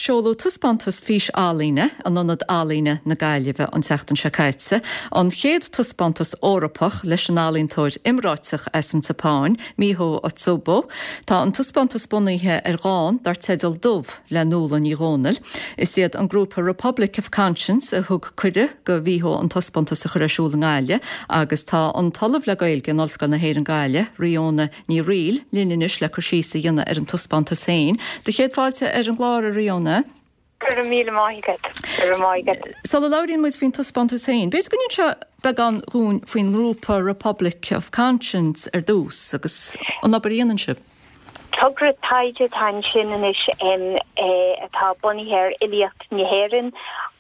Seoladh taispeántas fís-ealaíne in Ionad Ealaíne na Gaillimhe an tseachtain seo caite, an chéad taispeántas Eorpach leis an ealaíontóir iomráiteach as an tSeapáin, Miho Otsubo. Tá an taispeántas bunaithe ar dhán dar teideal Dubh le Nuala Ní Dhomhnaill. Is iad an grúpa Republic of Conscience a thug cuireadh do Mhiho an taispeántas a chur ar siúl i nGaillimh agus tá an tOllamh le Gaeilge in Ollscoil na hÉireann Gaillimh, Ríona Ní Fhrighil, linn anois le cur síos a dhéanamh ar an taispeántas féin. Do chéad fáilte ar an gclár, a Ríona. Go raibh míle maith agat. Go raibh maith agat. Sula labhraíonn muid faoin taispeántas féin, b'fhéidir go n-inseofá beagán dhúinn faoin ngrúpa Republic of Conscience ar dtús agus an obair a dhéanann sibh. Togra taighde atá ansin anois atá bunaithe ar fhilíocht na hÉireann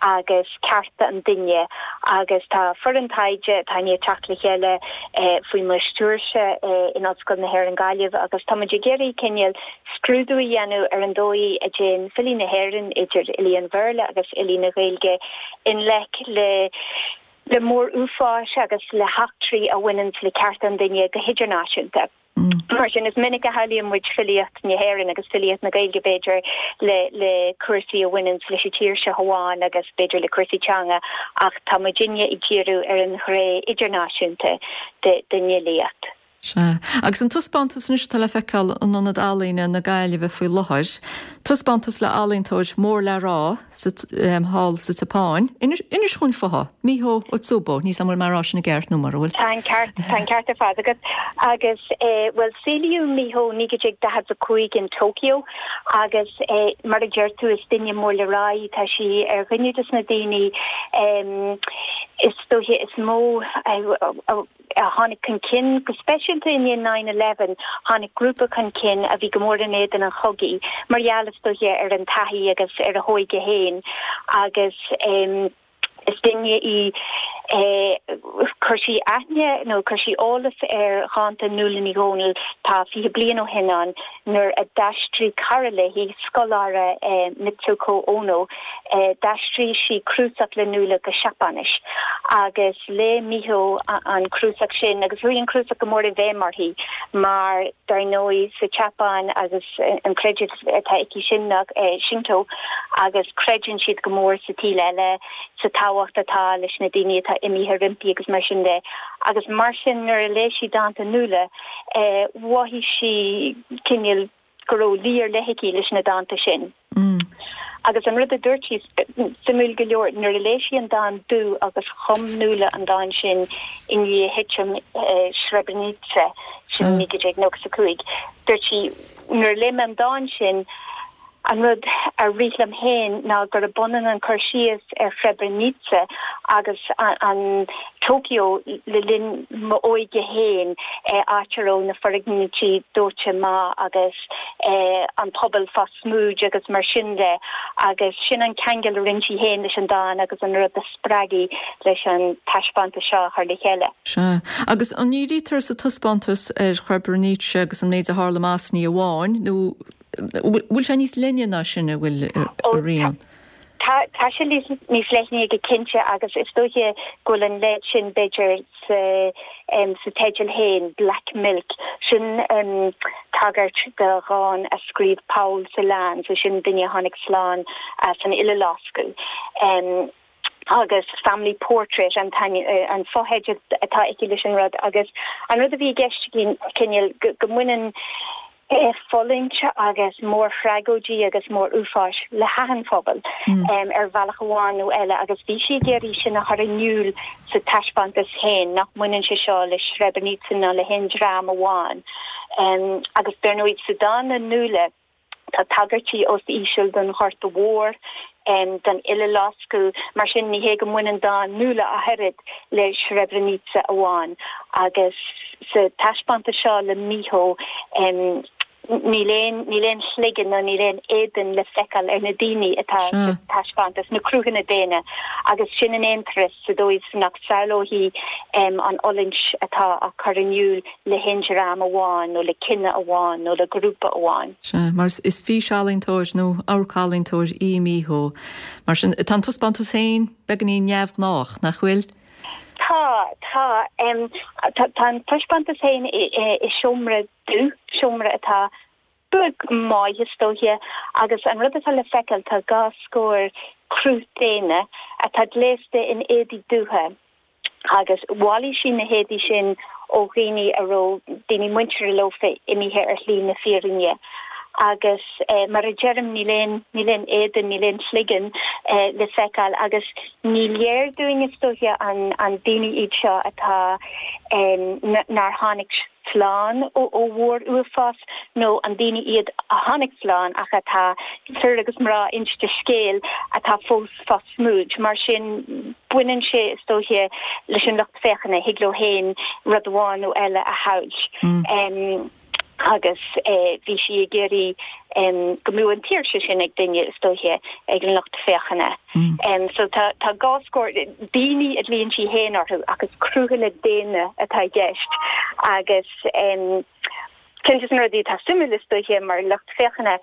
agus cearta an duine agus tá foireann taighde atá i ndiaidh teacht le chéile faoi mo stiúirse in Ollscoil na hÉireann Gaillimh agus tá muid ag iarraidh cineál scrúdú a dhéanamh ar an dóigh a dtéann filí na hÉireann, idir fhilí an Bhéarla agus fhilí na Gaeilge, i ngleic le le mór-uafáis agus le heachtraí a bhaineanns le cearta an duine go hidirnáisiúnta. Mar sin, is minic a shamhlaíonn muid filíocht na hÉireann agus filíocht na Gaeilge, b'fhéidir, le le cúrsaí a bhaineanns leis an tír seo amháin agus b'fhéidir le cúrsaí teanga, ach tá muidinne ag díriú ar an ghné idirnáisiúnta den fhilíocht. Sea. Agus an taispeántas anois atá le feiceáil in Ionad Ealaíne na Gaillimhe faoi láthair, taispeántas le ealaíontóir mór le rá sa thall sa tSeapáin. Inis dhúinn fúithi, Miho Otsubo, níl 's a'm an bhfuil mé a rá sin i gceart nó mura bhfuil. Tá an ceart, tá an ceart ar fad agat. Agus, bhuel, saolaíodh Miho 1945 in Tokyo agus, mar a deir tú, is duine mór le rá í. Tá sí ar dhuine de na daoine is dóiche is mó a, a tháinig chun cinn, go speisialta i ndiaidh nine eleven, tháinig grúpa chun cinn a bhí go mór in éadan an chogaidh, mar gheall, is dóiche, ar an taithí agus ar a hóige féin agus is duine í chuir sí aithne nó chuir sí eolas ar dhánta Nuala Ní Dhomhnaill tá 20 bliain ó shin ann nuair a d'aistrigh cara léi, scoláire Mitsuko Ono, d'aistrigh sí cnuasach le Nuala go Seapáinis agus léigh Miho an cnuasach sin agus chuaigh an cnuasach go mór i bhfeidhm uirthi mar dar ndóigh sa tSeapáin agus an creideamh atá aici sin ná Shinto agus creideann siad go mór sa tsaol eile, sa tábhacht atá leis na daoine atá imithe roimpi agus mar sin de agus mar sin nuair a léigh sí dánta Nuala mhothaigh sí cineál go raibh luí ar leith aici leis na dánta sin. Agus an rud a dúirt sí, suimiúil go leor, nuair a léigh sí an dán Dubh agus chum Nuala an dán sin i ndiaidh thitim Srebrenica, sin 1995, dúirt sí, nuair a léigh mé an dán sin, an rud a rith liom féin ná gurb ionann an cur síos ar Srebrenica agus an Tokyo le linn m'óige féin, áit a raibh na foirgnití dóite amach agus an pobal fá smúid agus mar sin de agus sin an ceangal a rinne sí féin leis an dán agus an rud a spreag í leis an taispeántas seo a chur le chéile. Sea. Agus an ndírítear sa taispeántas ar Shrebrenica agus an méid a tharla i mBosnia amháin nó bhfuil sé níos leithne ná sin, an bhfuil, a Ríona? Tá, tá sé níos leithne go cinnte agus is dóiche go bhfuil an leid sin b'fhéidir sa sa teideal féin, Black Milk. Sin tagairt do dhán a scríobh Paul Celan, so sin duine a tháinig slán as an Uileloscadh. Agus Family Portrait an an fotheideal atá aici leis an rud agus an rud a bhí i gceist aici cineál go mbaineann fulaingt agus mórthragóidí agus mór-uafáis le hachan phobal ar bhealach amháin nó eile agus bhí sí ag iarraidh sin a chur in iúl sa taispeántas féin, nach mbaineann sé seo le Srebrenica ná le haon dream amháin. Agus dar ndóigh sa dán le Nuala tá tagairtí os íseal don Ghorta Mhór, don Uileloscadh, mar sin ní hé go mbaineann dán Nuala ach oiread le Srebrenica amháin. Agus sa taispeántas seo le Miho, níl aon, níl aon chloigeann nó níl aon éadan le feiceáil ar na daoine atá sa taispeántas, na cruthanna daonna, agus sin in aon turas sa dóigh is nach samhlófaí an fhulaingt atá á cur in iúl le haon dream amháin nó le cine amháin nó le grúpa amháin. Sea, mar is físealaíontóir nó amharc-ealaíontóir í Miho. Mar sin, tá an taispeántas féin beagáinín neamhghnách, nach bhfuil? Tá, tá. Tá an taispeántas féin i seomra dubh, seomra atá. Beag maith, is dóiche, agus an rud atá le feiceáil, tá 2 scór cruth daonna atá gléasta in éadaí dubha agus bhailigh sí na héadaí sin ó dhaoine a raibh daoine muinteartha leofa imithe ar shlí na fírinne. Agus mar a deirim, níl aon, níl aon éadan, níl aon chloigeann le feiceáil agus ní léir dúinn, is dóiche, an, an daoine iad seo atá, nár tháinig slán ó mhór-uafás nó an daoine iad a tháinig slán ach atá, fir agus mná inste scéil, atá fós fá smúid. Mar sin, baineann sé, is dóiche, leis an lucht féachana, thig leo féin rud amháin nó eile a shamhailt. Agus bhí sí ag iarraidh go mbeadh an tsaoirse sin ag duine, is dóiche, ag an lucht féachana. So tá 2 scór daoine a ghlaonn sí féin orthu ach is cruthanna daonna atá i gceist agus ceann de na rudaí atá suimiúil is dóiche mar lucht féachana,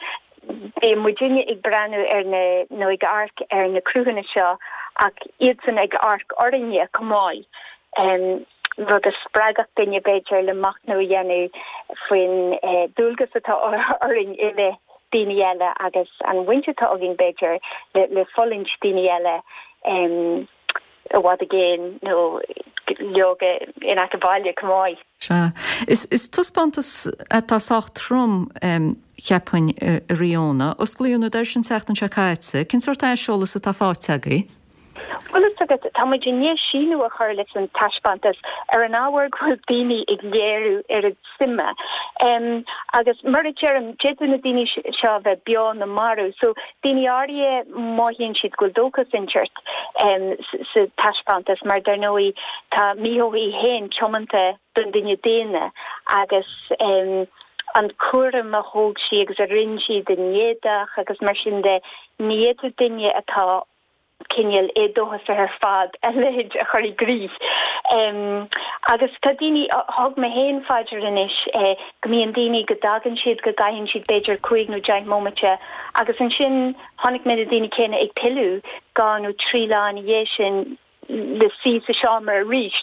bíonn muidinne ag breathnú ar na, nó ag amharc ar na cruthanna seo ach iadsan ag amharc orainne chomh maith, rud a spreagfadh duine b'fhéidir le machnamh a dhéanamh faoin dualgas atá orainn i leith daoine eile agus an bhaint atá againn, b'fhéidir, le fulaingt daoine eile i bhfad i gcéin nó leoga in aice baile chomh maith. Sea. Is taispeántas atá sách trom, cheapfainn, a Ríona. Osclaíodh na doirse an tseachtain seo caite. Cén sórt aiseolas atá faighte agaibh? Bhuel, fhios agat, tá muid i ndiaidh síneadh a chur leis an taispeántas ar an ábhar go bhfuil daoine ag léiriú oiread suime. Agus mar a deirim, d'fhéadfadh na daoine seo a bheith beo nó marbh. So, daoine áirithe, mothaíonn siad go bhfuil dóchas inteacht sa taispeántas mar, dar ndóigh, tá Miho í féin tiomanta don duine daonna agus an cúram a thóg sí agus a rinne sí den éadach agus mar sin de, ní fhéadfadh duine atá cineál éadóchasach ar fad a leithéid a chur i gcrích. Agus tá daoine, thug mé féin fá dear anois go mbíonn daoine go dtagann siad, go gcaitheann siad b'fhéidir cúig nó deich mbomaite agus ansin chonaic mé na daoine céanna ag pilleadh 2 nó 3 lá ina dhiaidh sin le suí sa seomra arís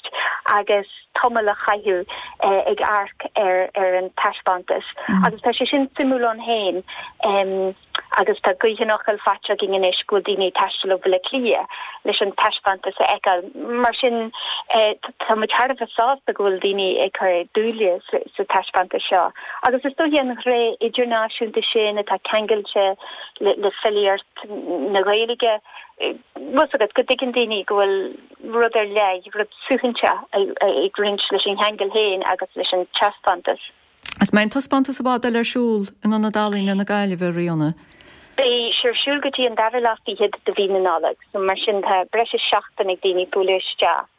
agus tamall a chaitheamh ag amharc ar an taispeántas. Agus tá sé sin suimiúil ann féin agus tá gaoth an fhocail faighte againn anois go bhfuil daoine ag taisteal ó Bhaile Átha Cliath leis an taispeántas a fheiceáil. Mar sin tá muid thar a bheith sásta go bhfuil daoine ag cur dúile sa taispeántas seo. Agus is dóiche an ghné idirnáisiúnta sin atá ceangailte le filíocht na Gaeilge, bhfuil 's agat, go dtuigeann daoine go bhfuil rud ar leith, rud suaithinseach ag roinnt leis an cheangal féin agus leis an taispeántas. Is mbeidh an taispeántas i bhfad eile ar siúl in Ionad Ealaíne na Gaillimhe, a Ríona? Beidh sé ar siúl go dtí an dara lá fichead de mhí na Nollag, so mar sin tá breis is seachtain ag daoine bualadh isteach.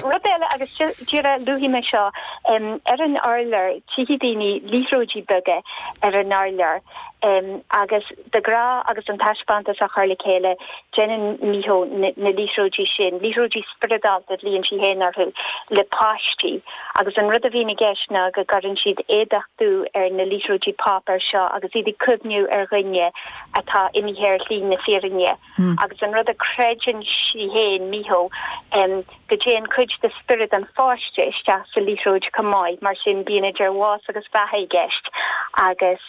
Rud eile, agus díreach luafaidh mé seo, ar an urlár, tchífidh daoine liathróidí beaga ar an urlár agus de ghnáth agus an taispeántas á chur le chéile, déanann Miho na liathróidí sin, liathróidí spioradálta a ghlaonn sí féin orthu, le páistí agus an rud a bhíonn i gceist ná go gcuireann siad éadach dubh ar na liathróidí páipéir seo agus iad ag cuimhniú ar dhuine atá imithe ar shlí na fírinne. Agus an rud a chreideann sí féin, Miho, go dtéann cuid de spiorad an pháiste isteach sa liathróid chomh maith, mar sin bíonn idir bhás agus bheatha i gceist agus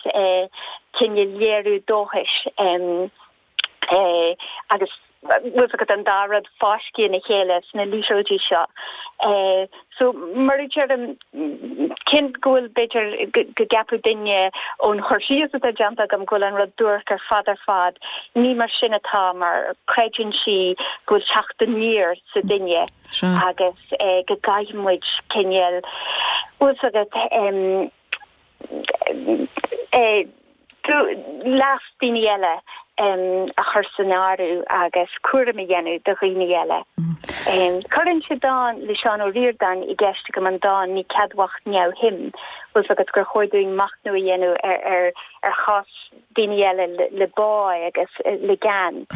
cineál léiriú dóchais agus bhfuil 's agat an dá rud fáiscthe ina chéile sna liathróidí seo. So, mar a deirim, cé go bhfuil, b'fhéidir, go gceapfadh duine ón chur síos atá déanta agam go bhfuil an rud duairc ar fad ar fad, ní mar sin atá mar creideann sí go bhfuil teacht aniar sa duine agus go gcaithfidh muid cineál, bhfuil 's agat, leas daoine eile a chur san áireamh agus cúram a dhéanamh do dhaoine eile. Cuireann sé dán le Seán Ó Ríordáin i gceist agam, an dán 'Ní ceadmhach neamhshuim', bhfuil 's agat gur chóir dúinn machnamh a dhéanamh ar chás daoine eile le bá agus le gean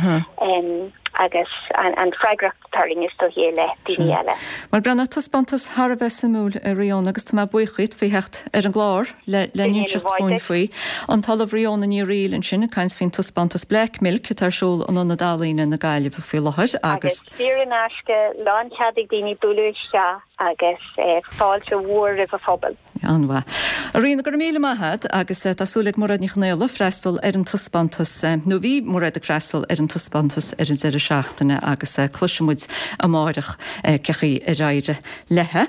agus an freagracht atá orainn is dóichí i leith daoine eile. Bhuel, Breandán, taispeántas thar a bheith suimiúil, a Ríona, agus tá mé buíoch dhíot faoi theacht ar an gclár le n-inseacht dhúinn faoi. An tOllamh Ríona Ní Fhearghaíl ansin ag caint faoin taispeántas Black Milk atá ar siúl in Ionad Ealaíne na Gaillimhe faoi láthair agus. Agus saor in aisce, lánchead ag daoine bualadh isteach. Agus fáilte mhór roimh an phobal. An-mhaith. A Ríona, go raibh míle maith agat agus tá súil ag Mairéad Ní Chonaola freastal ar an taispeántas, nó bhí Mairéad ag freastal ar an taispeántas ar an deireadh seachtaine agus cloisfidh muid amáireach cé chaoi ar éirigh léi.